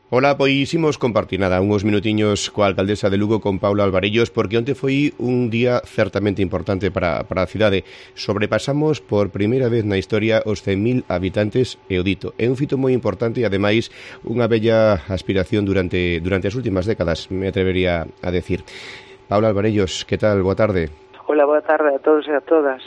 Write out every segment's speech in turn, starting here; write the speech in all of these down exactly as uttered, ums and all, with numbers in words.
Ola, pois imos compartir nada, unhos minutiños coa alcaldesa de Lugo, con Paula Alvarellos, porque onte foi un día certamente importante para, para a cidade. Sobrepasamos por primeira vez na historia os cen mil habitantes, e o dito. É un fito moi importante e, ademais, unha bella aspiración durante, durante as últimas décadas, me atrevería a decir. Paula Alvarellos, que tal? Boa tarde. Hola, boa tarde a todos e a todas.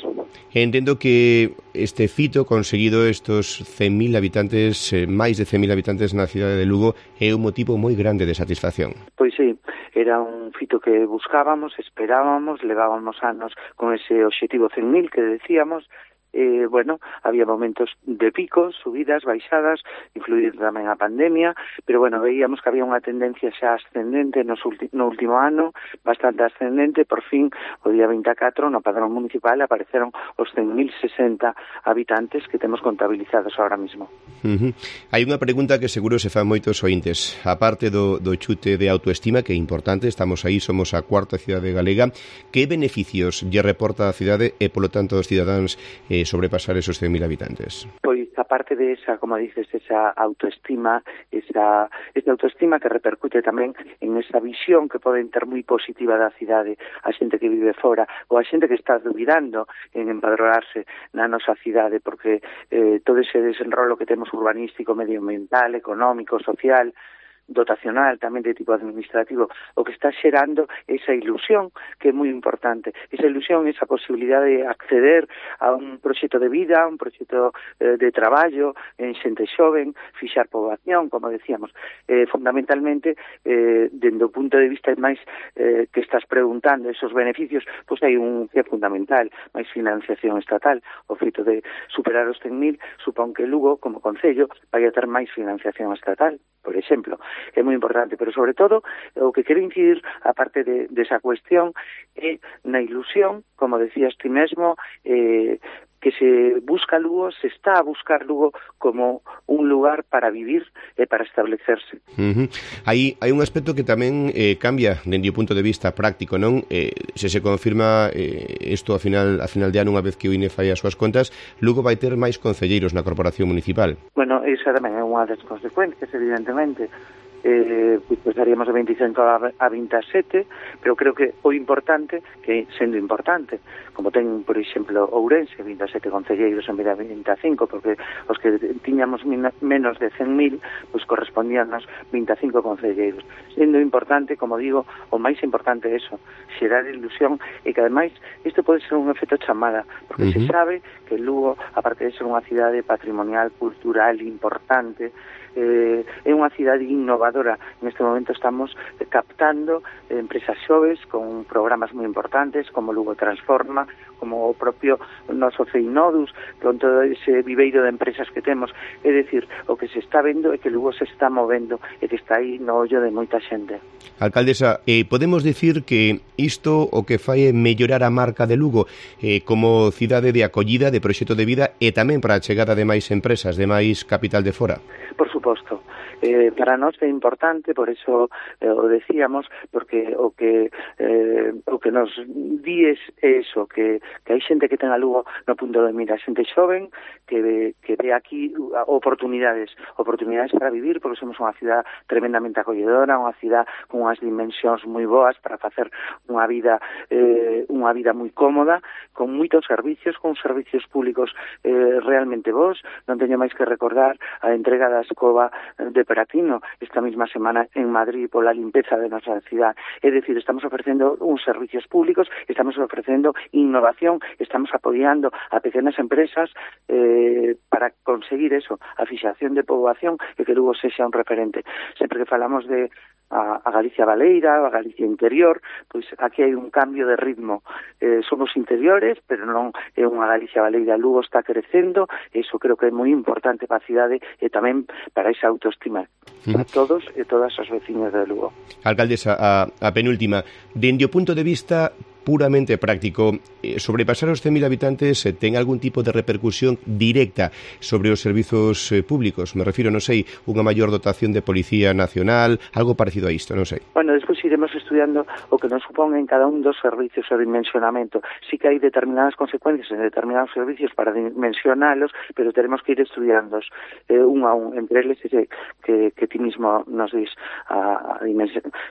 Entendo que este fito conseguido, estos cen mil habitantes, eh, máis de cen mil habitantes na cidade de Lugo, é un motivo moi grande de satisfacción. Pois sí, era un fito que buscábamos, esperábamos, levábamos anos con ese obxectivo cen mil que decíamos. Eh, bueno, había momentos de picos, subidas, baixadas, influída tamén a pandemia, pero bueno, veíamos que había unha tendencia xa ascendente nos ulti- no último ano, bastante ascendente. Por fin, o día vinte e catro, no padrón municipal apareceron os cen mil sesenta habitantes que temos contabilizados ahora mismo. Uh-huh. Hai unha pregunta que seguro se fan moitos ointes. A parte do, do chute de autoestima, que é importante, estamos aí, somos a cuarta cidade galega, que beneficios lle reporta a cidade e, polo tanto, aos cidadáns eh, sobrepasar esos cen mil habitantes? Pois, aparte de esa, como dices, esa autoestima, esa, esa autoestima que repercute tamén en esa visión que poden ter moi positiva da cidade, a xente que vive fora, ou a xente que está dubidando en empadronarse na nosa cidade, porque eh, todo ese desenrolo que temos urbanístico, medioambiental, económico, social, dotacional, tamén de tipo administrativo, o que está xerando esa ilusión que é moi importante. Esa ilusión, esa posibilidade de acceder a un proxecto de vida, a un proxecto eh, de traballo en xente xoven, fixar poboación, como decíamos. Eh, fundamentalmente, eh, dende o punto de vista máis eh, que estás preguntando, esos beneficios, pois hai un que é fundamental, máis financiación estatal. O feito de superar os cen mil supón que Lugo, como concello, vai a ter máis financiación estatal, por exemplo. É moi importante, pero sobre todo o que quero incidir, aparte de, de esa cuestión, é na ilusión, como decías ti mesmo, eh, que se busca Lugo, se está a buscar Lugo como un lugar para vivir e para establecerse. Uh-huh. Hai, hai un aspecto que tamén eh, cambia dende o punto de vista práctico, non? Eh, se se confirma eh, isto a final, a final de ano, unha vez que o I N E fai as súas contas, Lugo vai ter máis concelleiros na corporación municipal. Bueno, esa tamén é unha das consecuencias, evidentemente. Eh, pues pasaríamos de veinticinco a veintisiete, pero creo que o importante, que sendo importante, como ten, por exemplo, Ourense, vinte e sete concelleiros en vez de vinte e cinco, porque os que tiñamos menos de cen mil, pues correspondíanos vinte e cinco concelleiros. Sendo importante, como digo, o máis importante é eso, xerar ilusión, e que ademais isto pode ser un efecto chamada, porque uh-huh. se sabe que Lugo, aparte de ser unha cidade patrimonial, cultural, importante, eh, é unha cidade innovadora. Neste momento estamos captando empresas xoves con programas moi importantes, como Lugo Transforma, como o propio noso Ceinodus, con todo ese viveiro de empresas que temos. É dicir, o que se está vendo é que Lugo se está movendo e que está aí no ollo de moita xente. Alcaldesa, eh, podemos dicir que isto o que fai é mellorar a marca de Lugo eh, como cidade de acollida, de proxecto de vida, e tamén para a chegada de máis empresas, de máis capital de fora? Por suposto. Eh, para nós é importante, por eso eh, o decíamos, porque o que eh, o que nos di é eso, que, que hai xente que ten a Lugo no punto de mira, xente xoven que ve, que ve aquí oportunidades, oportunidades para vivir, porque somos unha cidade tremendamente acolledora, unha cidade con unhas dimensións moi boas para facer unha vida eh, unha vida moi cómoda, con moitos servicios, con servicios públicos eh, realmente bons. Non teño máis que recordar a entrega da escoba de Peratino esta mesma semana en Madrid pola limpeza de nosa cidade. É dicir, estamos ofrecendo uns servicios públicos, estamos ofrecendo innovación, estamos apoiando a pequenas empresas eh, para conseguir eso, a fixación de poboación e que Lugo sexa un referente. Sempre que falamos de a, a Galicia Baleira, a Galicia interior, pois aquí hai un cambio de ritmo. Eh, somos interiores, pero non é unha Galicia Baleira. Lugo está crecendo, e iso creo que é moi importante para a cidade e tamén para esa autoestima para todos e todas os veciños de Lugo. Alcaldesa, a, a penúltima, dende o punto de vista puramente práctico, eh, sobrepasar os cen mil habitantes eh, ten algún tipo de repercusión directa sobre os servizos eh, públicos? Me refiro, non sei, unha maior dotación de Policía Nacional, algo parecido a isto, non sei. Bueno, despois iremos estudiando o que nos supón en cada un dos servicios o dimensionamento. Sí que hai determinadas consecuencias en determinados servicios para dimensionalos, pero teremos que ir estudiándoos eh, un a un. Entre eles ese que, que ti mismo nos dis a, a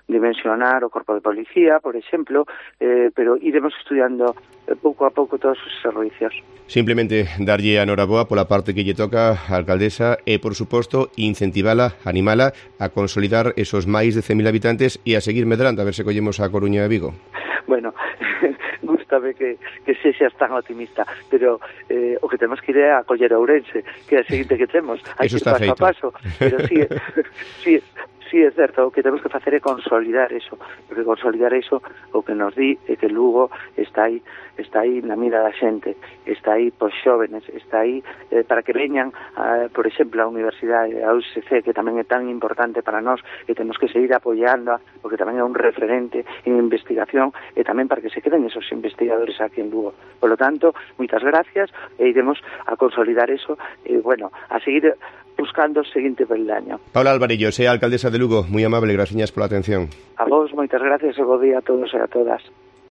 dimensionar o Corpo de Policía, por exemplo, eh, pero iremos estudiando pouco a pouco todos os servicios. Simplemente darlle a noraboa pola parte que lle toca a alcaldesa e, por suposto, incentivala, animala a consolidar esos máis de cen mil habitantes e a seguir medrando, a ver se collemos a Coruña e Vigo. Bueno, gústame que, que sexas tan optimista, pero eh, o que temos que ir é a coller a Ourense, que é a seguinte que temos. Hai Eso que ir está paso feito. a paso, pero sí, sí, sí, é certo, o que temos que facer é consolidar eso, porque consolidar eso o que nos di é que Lugo está aí, está aí na mira da xente, está aí pos xóvenes, está aí eh, para que veñan, a, por exemplo, a Universidade, a U S C, que tamén é tan importante para nós, e temos que seguir apoiando, porque tamén é un referente en investigación, e tamén para que se queden esos investigadores aquí en Lugo. Por lo tanto, moitas gracias, e iremos a consolidar eso, e, bueno, a seguir buscando o seguinte peldaño. Paula Alvarellos, é a alcaldesa de Lugo, moi amable, graciñas pola atención. A vos, moitas gracias e bo día a todos e a todas.